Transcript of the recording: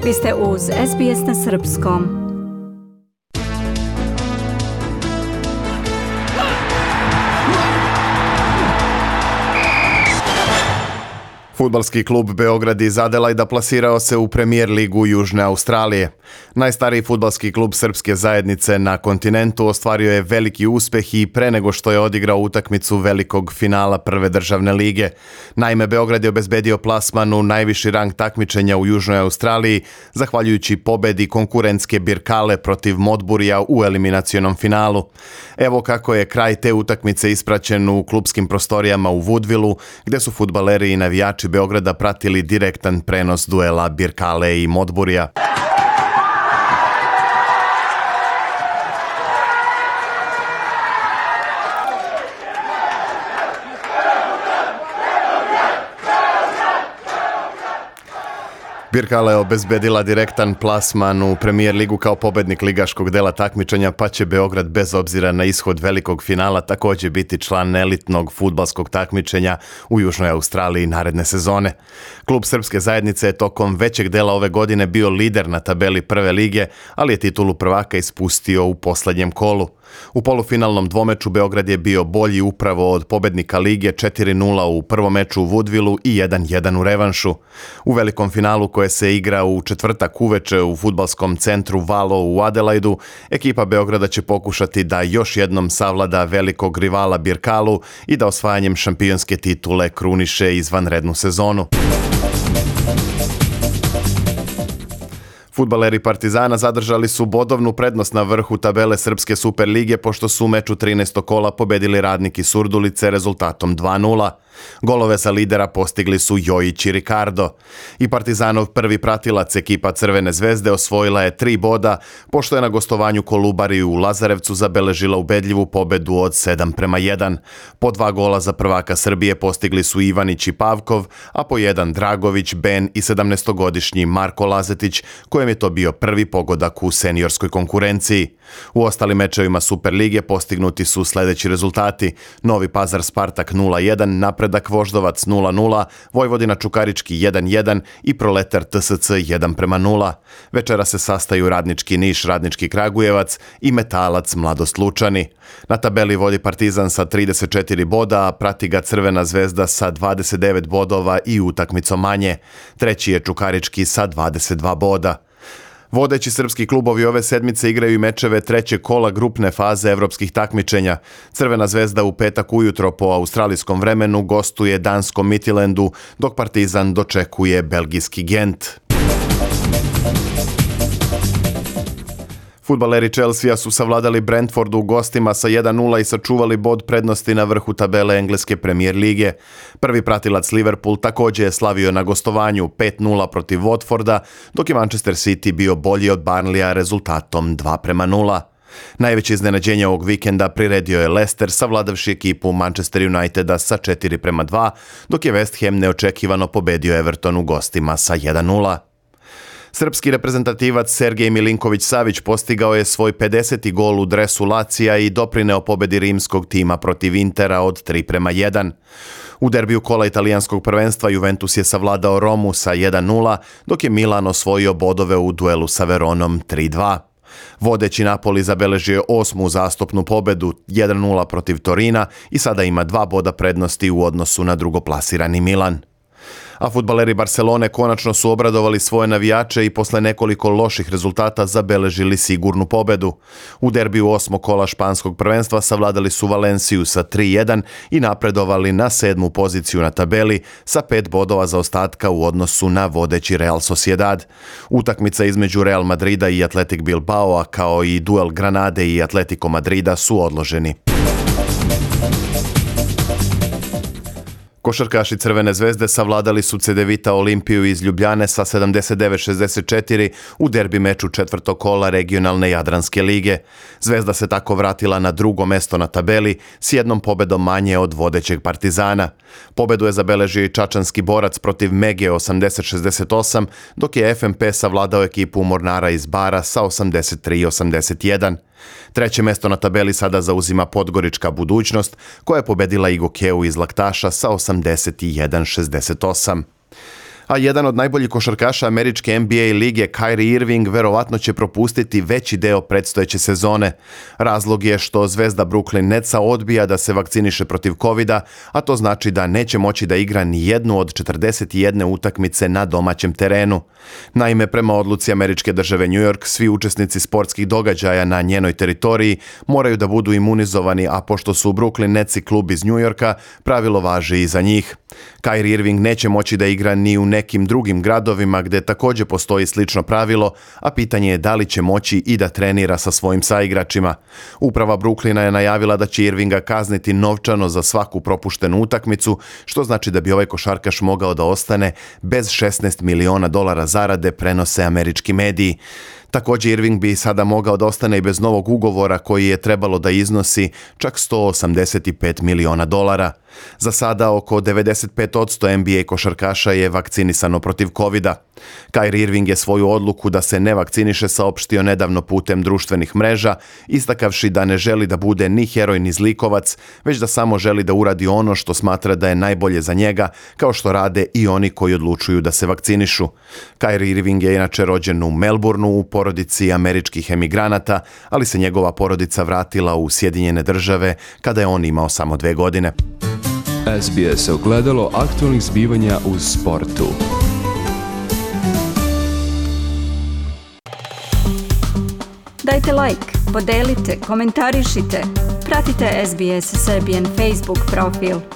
Vi ste uz SBS na srpskom. Fudbalski klub Beograd iz Adelaida plasirao se u Premier ligu Južne Australije. Najstariji fudbalski klub srpske zajednice na kontinentu ostvario je veliki uspeh i pre nego što je odigrao utakmicu velikog finala prve državne lige. Naime, Beograd je obezbedio plasman u najviši rang takmičenja u Južnoj Australiji, zahvaljujući pobedi konkurentske Birkale protiv Modburija u eliminacionom finalu. Evo kako je kraj te utakmice ispraćen u klubskim prostorijama u Woodvilleu, gde su fudbaleri i navijači Beograda pratili direktan prenos duela Birkale i Modburija. Birkale je obezbedila direktan plasman u Premier ligu kao pobednik ligaškog dela takmičenja, pa će Beograd bez obzira na ishod velikog finala također biti član elitnog fudbalskog takmičenja u Južnoj Australiji naredne sezone. Klub srpske zajednice je tokom većeg dela ove godine bio lider na tabeli prve lige, ali je titulu prvaka ispustio u posljednjem kolu. U polufinalnom dvomeču Beograd je bio bolji upravo od pobednika lige 4-0 u prvom meču u Woodvilleu i 1-1 u revanšu. U velikom finalu koje se igra u četvrtak uveče u fudbalskom centru Valo u Adelaidu, ekipa Beograda će pokušati da još jednom savlada velikog rivala Birkalu i da osvajanjem šampionske titule kruniše izvanrednu sezonu. Fudbaleri Partizana zadržali su bodovnu prednost na vrhu tabele Srpske Superlige pošto su u meču 13. kola pobedili Radnik iz Surdulice rezultatom 2-0. Golove sa lidera postigli su Jojić i Ricardo. I Partizanov prvi pratilac ekipa Crvene zvezde osvojila je 3 boda pošto je na gostovanju Kolubari u Lazarevcu zabeležila ubedljivu pobedu od 7-1. Po 2 gola za prvaka Srbije postigli su Ivanić i Pavkov, a po 1 Dragović, Ben i 17-godišnji Marko Lazetić, kojem je to bio prvi pogodak u seniorskoj konkurenciji. U ostalim mečevima Superlige postignuti su sljedeći rezultati: Novi Pazar Spartak 0-1, Napredak Voždovac 0-0, Vojvodina Čukarički 1-1 i Proletar TSC 1-0. Večera se sastaju Radnički Niš, Radnički Kragujevac i Metalac Mladost Lučani. Na tabeli vodi Partizan sa 34 boda, a prati ga Crvena zvezda sa 29 bodova i utakmicom manje. Treći je Čukarički sa 22 boda. Vodeći srpski klubovi ove sedmice igraju i mečeve trećeg kola grupne faze evropskih takmičenja. Crvena zvezda u petak ujutro po australijskom vremenu gostuje danskom Midtjyllandu, dok Partizan dočekuje belgijski Gent. Fudbaleri Chelsea su savladali Brentfordu u gostima sa 1-0 i sačuvali bod prednosti na vrhu tabele engleske Premier lige. Prvi pratilac Liverpool također je slavio na gostovanju 5-0 protiv Watforda, dok je Manchester City bio bolji od Burnleya rezultatom 2-0. Najveće iznenađenje ovog vikenda priredio je Leicester, savladavši ekipu Manchester Uniteda sa 4-2, dok je West Ham neočekivano pobedio Everton u gostima sa 1-0. Srpski reprezentativac Sergej Milinković-Savić postigao je svoj 50. gol u dresu Lacija i doprineo pobedi rimskog tima protiv Intera od 3-1. U derbiju kola italijanskog prvenstva Juventus je savladao Romu sa 1-0, dok je Milan osvojio bodove u duelu sa Veronom 3-2. Vodeći Napoli zabeležio 8. uzastopnu pobedu 1-0 protiv Torina i sada ima 2 boda prednosti u odnosu na drugoplasirani Milan. A fudbaleri Barcelone konačno su obradovali svoje navijače i posle nekoliko loših rezultata zabeležili sigurnu pobedu. U derbiju 8. kola španskog prvenstva savladali su Valenciju sa 3-1 i napredovali na 7. poziciju na tabeli sa 5 bodova zaostatka u odnosu na vodeći Real Sociedad. Utakmica između Real Madrida i Athletic Bilbao, kao i duel Granade i Atletico Madrida su odloženi. Košarkaši Crvene zvezde savladali su Cedevita Olimpiju iz Ljubljane sa 79-64 u derbi meču četvrtog kola regionalne Jadranske lige. Zvezda se tako vratila na drugo mesto na tabeli s jednom pobedom manje od vodećeg Partizana. Pobedu je zabeležio i čačanski Borac protiv Mege 80-68, dok je FNP savladao ekipu Mornara iz Bara sa 83-81. Treće mesto na tabeli sada zauzima Podgorička Budućnost, koja je pobedila Igokeu iz Laktaša sa 81-68. A jedan od najboljih košarkaša američke NBA lige, Kyrie Irving, verovatno će propustiti veći deo predstojeće sezone. Razlog je što zvezda Brooklyn Netsa odbija da se vakciniše protiv covida, a to znači da neće moći da igra ni jednu od 41 utakmice na domaćem terenu. Naime, prema odluci američke države New York, svi učesnici sportskih događaja na njenoj teritoriji moraju da budu imunizovani, a pošto su Brooklyn Netsi klub iz New Yorka, pravilo važi i za njih. Kyrie Irving neće moći da igra ni u nekim drugim gradovima gdje također postoji slično pravilo, a pitanje je da li će moći i da trenira sa svojim saigračima. Uprava Brooklyna je najavila da će Irvinga kazniti novčano za svaku propuštenu utakmicu, što znači da bi ovaj košarkaš mogao da ostane bez $16 miliona zarade, prenose američki mediji. Također Irving bi sada mogao da ostane i bez novog ugovora koji je trebalo da iznosi čak $185 miliona. Za sada oko 95% NBA košarkaša je vakcinisano protiv covida. Kyrie Irving je svoju odluku da se ne vakciniše saopštio nedavno putem društvenih mreža, istakavši da ne želi da bude ni heroj ni zlikovac, već da samo želi da uradi ono što smatra da je najbolje za njega, kao što rade i oni koji odlučuju da se vakcinišu. Kyrie Irving je inače rođen u Melbourneu u porodici američkih emigranata, ali se njegova porodica vratila u Sjedinjene Države kada je on imao samo 2 godine. SBS ogledalo aktualnih zbivanja u sportu. Dajte like, podelite, komentarišite. Pratite SBS Serbian Facebook profil.